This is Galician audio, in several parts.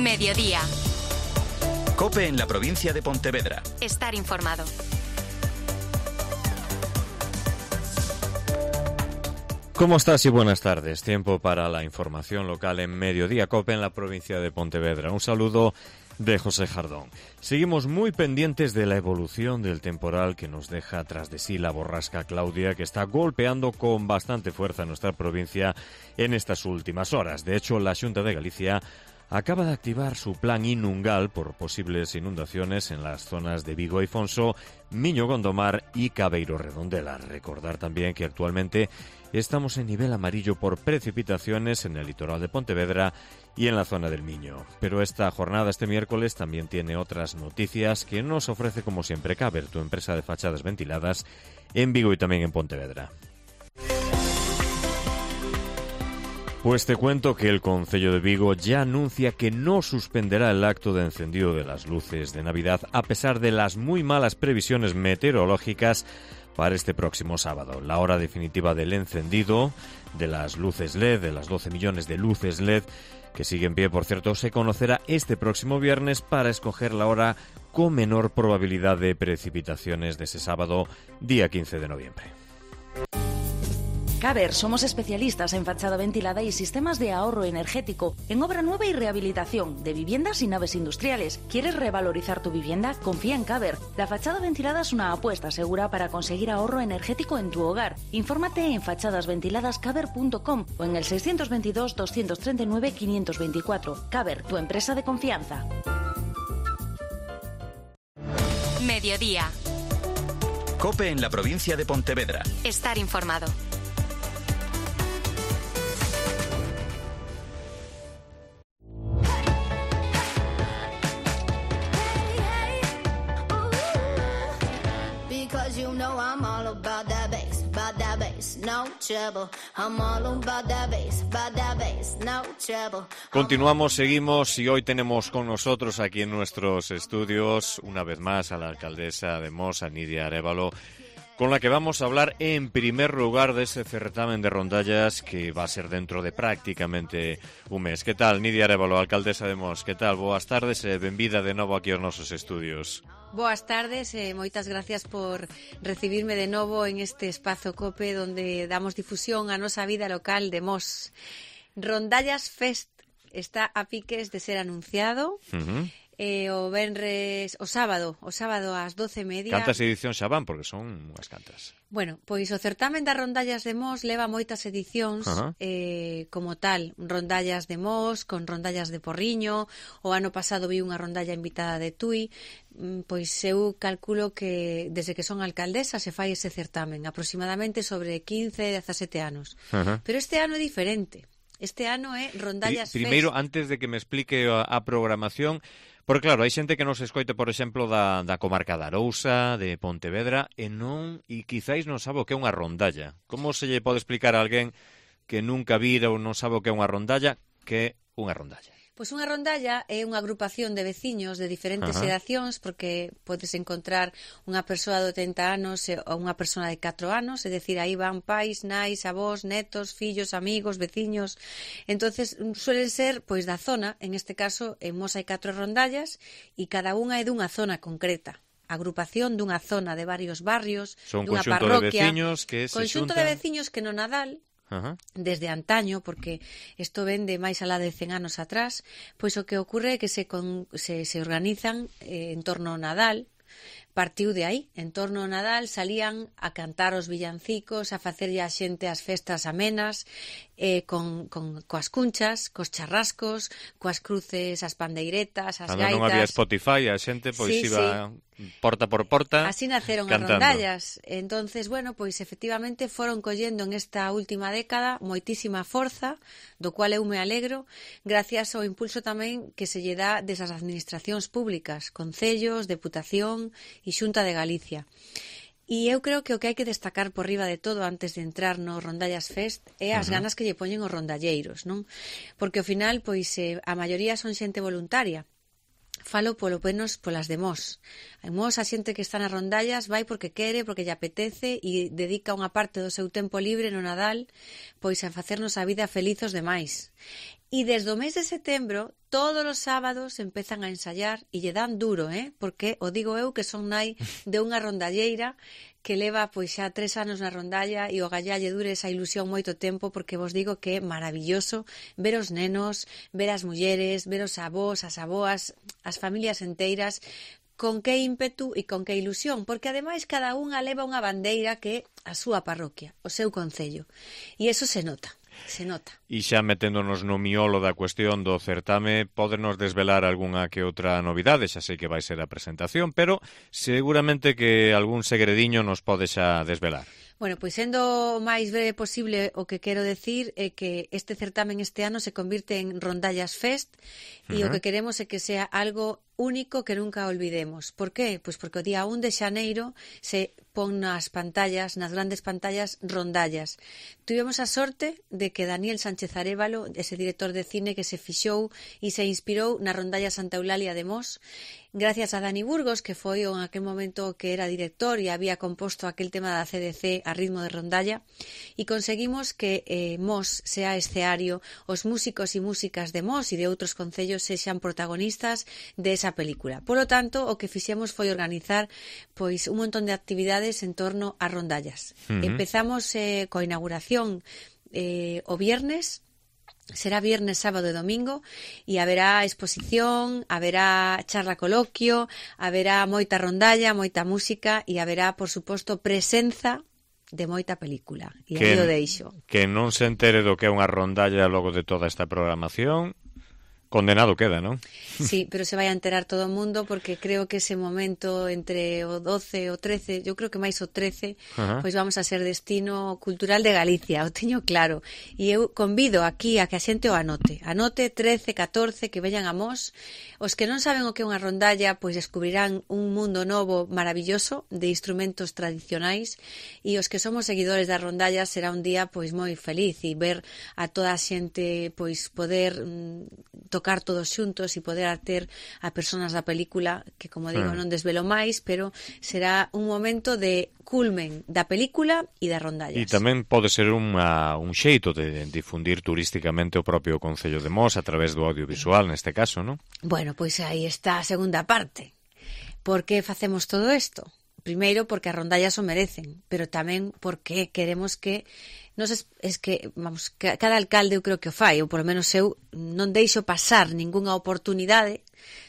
Mediodía. COPE en la provincia de Pontevedra. Estar informado. ¿Cómo estás y buenas tardes? Tiempo para la información local en Mediodía COPE en la provincia de Pontevedra. Un saludo de José Jardón. Seguimos muy pendientes de la evolución del temporal que nos deja tras de sí la borrasca Claudia, que está golpeando con bastante fuerza nuestra provincia en estas últimas horas. De hecho, la Xunta de Galicia acaba de activar su plan Inungal por posibles inundaciones en las zonas de Vigo y Fonso, Miño Gondomar y Cabeiro Redondela. Recordar también que actualmente estamos en nivel amarillo por precipitaciones en el litoral de Pontevedra y en la zona del Miño. Pero esta jornada, este miércoles, también tiene otras noticias que nos ofrece, como siempre, Caber, tu empresa de fachadas ventiladas, en Vigo y también en Pontevedra. Pues te cuento que el Concello de Vigo ya anuncia que no suspenderá el acto de encendido de las luces de Navidad a pesar de las muy malas previsiones meteorológicas para este próximo sábado. La hora definitiva del encendido de las luces LED, de las 12 millones de luces LED, que sigue en pie, por cierto, se conocerá este próximo viernes para escoger la hora con menor probabilidad de precipitaciones de ese sábado, día 15 de noviembre. Caber, somos especialistas en fachada ventilada y sistemas de ahorro energético, en obra nueva y rehabilitación de viviendas y naves industriales. ¿Quieres revalorizar tu vivienda? Confía en Caber. La fachada ventilada es una apuesta segura para conseguir ahorro energético en tu hogar. Infórmate en fachadasventiladascaber.com o en el 622-239-524. Caber, tu empresa de confianza. Mediodía. COPE en la provincia de Pontevedra. Estar informado. You know I'm all about that bass, no trouble. I'm all about that bass, no trouble. Continuamos, seguimos y hoy tenemos con nosotros aquí en nuestros estudios una vez más a la alcaldesa de Mos, a Nidia Arévalo, con la que vamos a hablar en primer lugar de ese certamen de rondallas que va a ser dentro de prácticamente un mes. ¿Qué tal, Nidia Arévalo, alcaldesa de Mos? ¿Qué tal? Boas tardes e benvida de novo aquí aos nosos estudios. Boas tardes e moitas gracias por recibirme de novo en este espazo COPE onde damos difusión á nosa vida local de Mos. Rondallas Fest está a piques de ser anunciado. O sábado ás 12:30. Cantas edicións xa van? Porque son unhas cantas. Bueno, pois o certamen das rondallas de Mos leva moitas edicións como tal, rondallas de Mos, con rondallas de Porriño. O ano pasado vi unha rondalla invitada de Tui. Pois eu calculo que desde que son alcaldesa se fai ese certamen, aproximadamente sobre 15-17 anos. Pero este ano é diferente. Este ano é Rondallas Fest. Primeiro, antes de que me explique a programación, porque claro, hai xente que nos escoite, por exemplo, da comarca da Arousa, de Pontevedra, e quizáis non sabe o que é unha rondalla. Como se lle pode explicar a alguén que nunca vira ou non sabe o que é unha rondalla, que é unha rondalla? Pois unha rondalla é unha agrupación de veciños de diferentes xeracións, porque podes encontrar unha persoa de 80 anos ou unha persoa de 4 anos, é dicir, aí van pais, nais, avós, netos, fillos, amigos, veciños. Entonces suelen ser pois da zona, en este caso en Mos hai 4 rondallas e cada unha é dunha zona concreta. Agrupación dunha zona de varios barrios, dunha parroquia. Conxunto de veciños que no Nadal, desde antaño, porque isto ven de máis alá de 100 anos atrás, pois o que ocorre é que se organizan en torno ao Nadal. Partiu de aí, en torno ao Nadal salían a cantar os villancicos, a facerlle a xente as festas amenas, coas cunchas, cos charrascos, coas cruces, as pandeiretas, as gaitas. Non había Spotify, a xente pois iba porta por porta. Así naceron cantando. As rondallas. Entonces, bueno, pois efectivamente foron collendo en esta última década moitísima forza, do cual eu me alegro, gracias ao impulso tamén que se lle dá desas administracións públicas, concellos, deputación e Xunta de Galicia. E eu creo que o que hai que destacar por riba de todo antes de entrar no Rondallas Fest é as ganas que lle poñen os rondalleiros, non? Porque ao final, pois, a maioría son xente voluntaria. Falo polo menos polas de Mos. En Mos a xente que está nas rondallas vai porque quere, porque lle apetece e dedica unha parte do seu tempo libre no Nadal pois a facernos a vida felizos demais. E desde o mes de setembro, todos os sábados empezan a ensayar e lle dan duro, porque o digo eu que son nai de unha rondalleira que leva pois xa 3 anos na rondalla e o gallalle dure esa ilusión moito tempo, porque vos digo que é maravilloso ver os nenos, ver as mulleres, ver os avós, as aboas, as familias enteiras, con que ímpetu e con que ilusión, porque ademais cada unha leva unha bandeira que é a súa parroquia, o seu concello, e eso se nota. Se nota. E xa meténdonos no miolo da cuestión do certame, pódenos desvelar algunha que outra novidade, xa sei que vai ser a presentación, pero seguramente que algún segrediño nos pode xa desvelar. Bueno, pois sendo o máis breve posible, o que quero decir é que este certamen este ano se convirte en Rondallas Fest e o que queremos é que sea algo único que nunca olvidemos. Por qué? Pois porque o día 1 de xaneiro se pon nas pantallas, nas grandes pantallas, Rondallas. Tivemos a sorte de que Daniel Sánchez Arévalo, ese director de cine que se fixou e se inspirou na Rondalla Santa Eulalia de Mos, gracias a Dani Burgos, que foi en aquel momento que era director e había composto aquel tema da CDC a ritmo de rondalla, e conseguimos que Mos sea escenario, os músicos e músicas de Mos e de outros concellos sexan protagonistas de esa película. Por lo tanto, o que fixemos foi organizar pois un montón de actividades en torno a rondallas. Empezamos coa inauguración o viernes. Será viernes, sábado e domingo e haberá exposición, haberá charla coloquio, haberá moita rondalla, moita música e haberá, por suposto, presenza de moita película. E aí o deixo. Que non se entere do que é unha rondalla logo de toda esta programación, condenado queda, non? Sí, pero se vai a enterar todo o mundo, porque creo que ese momento entre o 12 e o 13, eu creo que máis o 13, pois vamos a ser destino cultural de Galicia, o teño claro. E eu convido aquí a que a xente o anote. Anote 13, 14, que veñan a Mos. Os que non saben o que é unha rondalla, pois descubrirán un mundo novo maravilloso de instrumentos tradicionais, e os que somos seguidores da rondalla será un día pois moi feliz, e ver a toda a xente pois poder tocar todos xuntos e poder ter a personas da película, que como digo non desvelo máis, pero será un momento de culmen da película e da rondallas. E tamén pode ser un xeito de difundir turísticamente o propio Concello de Mos a través do audiovisual, neste caso, non? Bueno, pois aí está a segunda parte. Por que facemos todo isto? Primeiro, porque as rondallas o merecen, pero tamén porque queremos que vamos, cada alcalde eu creo que o fai, ou polo menos eu non deixo pasar ningunha oportunidade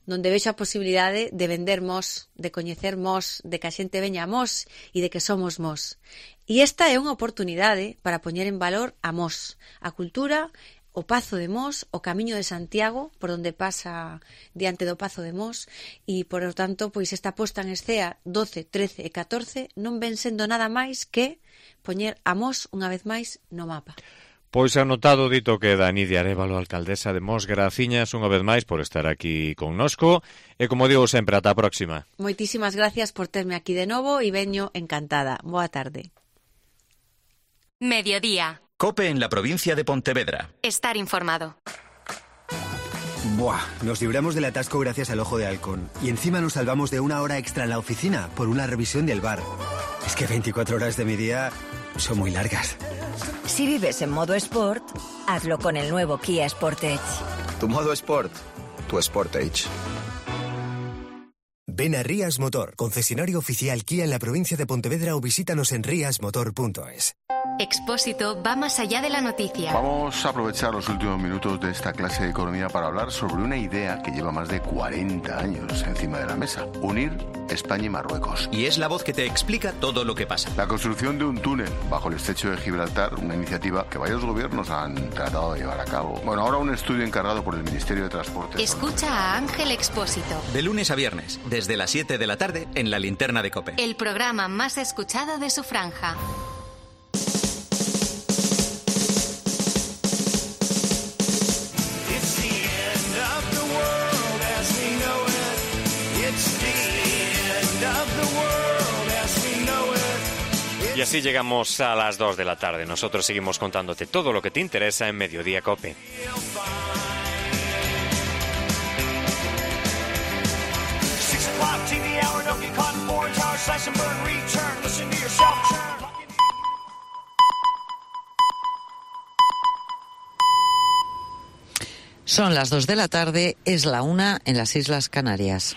donde vexo a posibilidade de vender Mos, de coñecer Mos, de que a xente veña a Mos e de que somos Mos. E esta é unha oportunidade para poñer en valor a Mos, a cultura, o Pazo de Mos, o Camiño de Santiago, por onde pasa diante do Pazo de Mos, e, por lo tanto, pois esta posta en escea 12, 13 e 14 non ven sendo nada máis que poñer a Mos unha vez máis no mapa. Pois anotado, dito que Nidia Arévalo, alcaldesa de Mos, graciñas unha vez máis por estar aquí connosco, e como digo sempre, ata a próxima. Moitísimas gracias por terme aquí de novo e veño encantada. Boa tarde. Mediodía. COPE en la provincia de Pontevedra. Estar informado. Buah, nos libramos del atasco gracias al Ojo de Halcón. Y encima nos salvamos de una hora extra en la oficina por una revisión del bar. Es que 24 horas de mi día son muy largas. Si vives en modo Sport, hazlo con el nuevo Kia Sportage. Tu modo Sport, tu Sportage. Ven a Rías Motor, concesionario oficial Kia en la provincia de Pontevedra, o visítanos en riasmotor.es. Expósito va más allá de la noticia. Vamos a aprovechar los últimos minutos de esta clase de economía para hablar sobre una idea que lleva más de 40 años encima de la mesa: unir España y Marruecos. Y es la voz que te explica todo lo que pasa. La construcción de un túnel bajo el estrecho de Gibraltar, una iniciativa que varios gobiernos han tratado de llevar a cabo. Bueno, ahora un estudio encargado por el Ministerio de Transporte. Escucha a Ángel Expósito. De lunes a viernes, desde las 7 de la tarde, en la linterna de COPE. El programa más escuchado de su franja. Y así llegamos a las 2 de la tarde. Nosotros seguimos contándote todo lo que te interesa en Mediodía COPE. Son las 2 de la tarde, es la 1 en las Islas Canarias.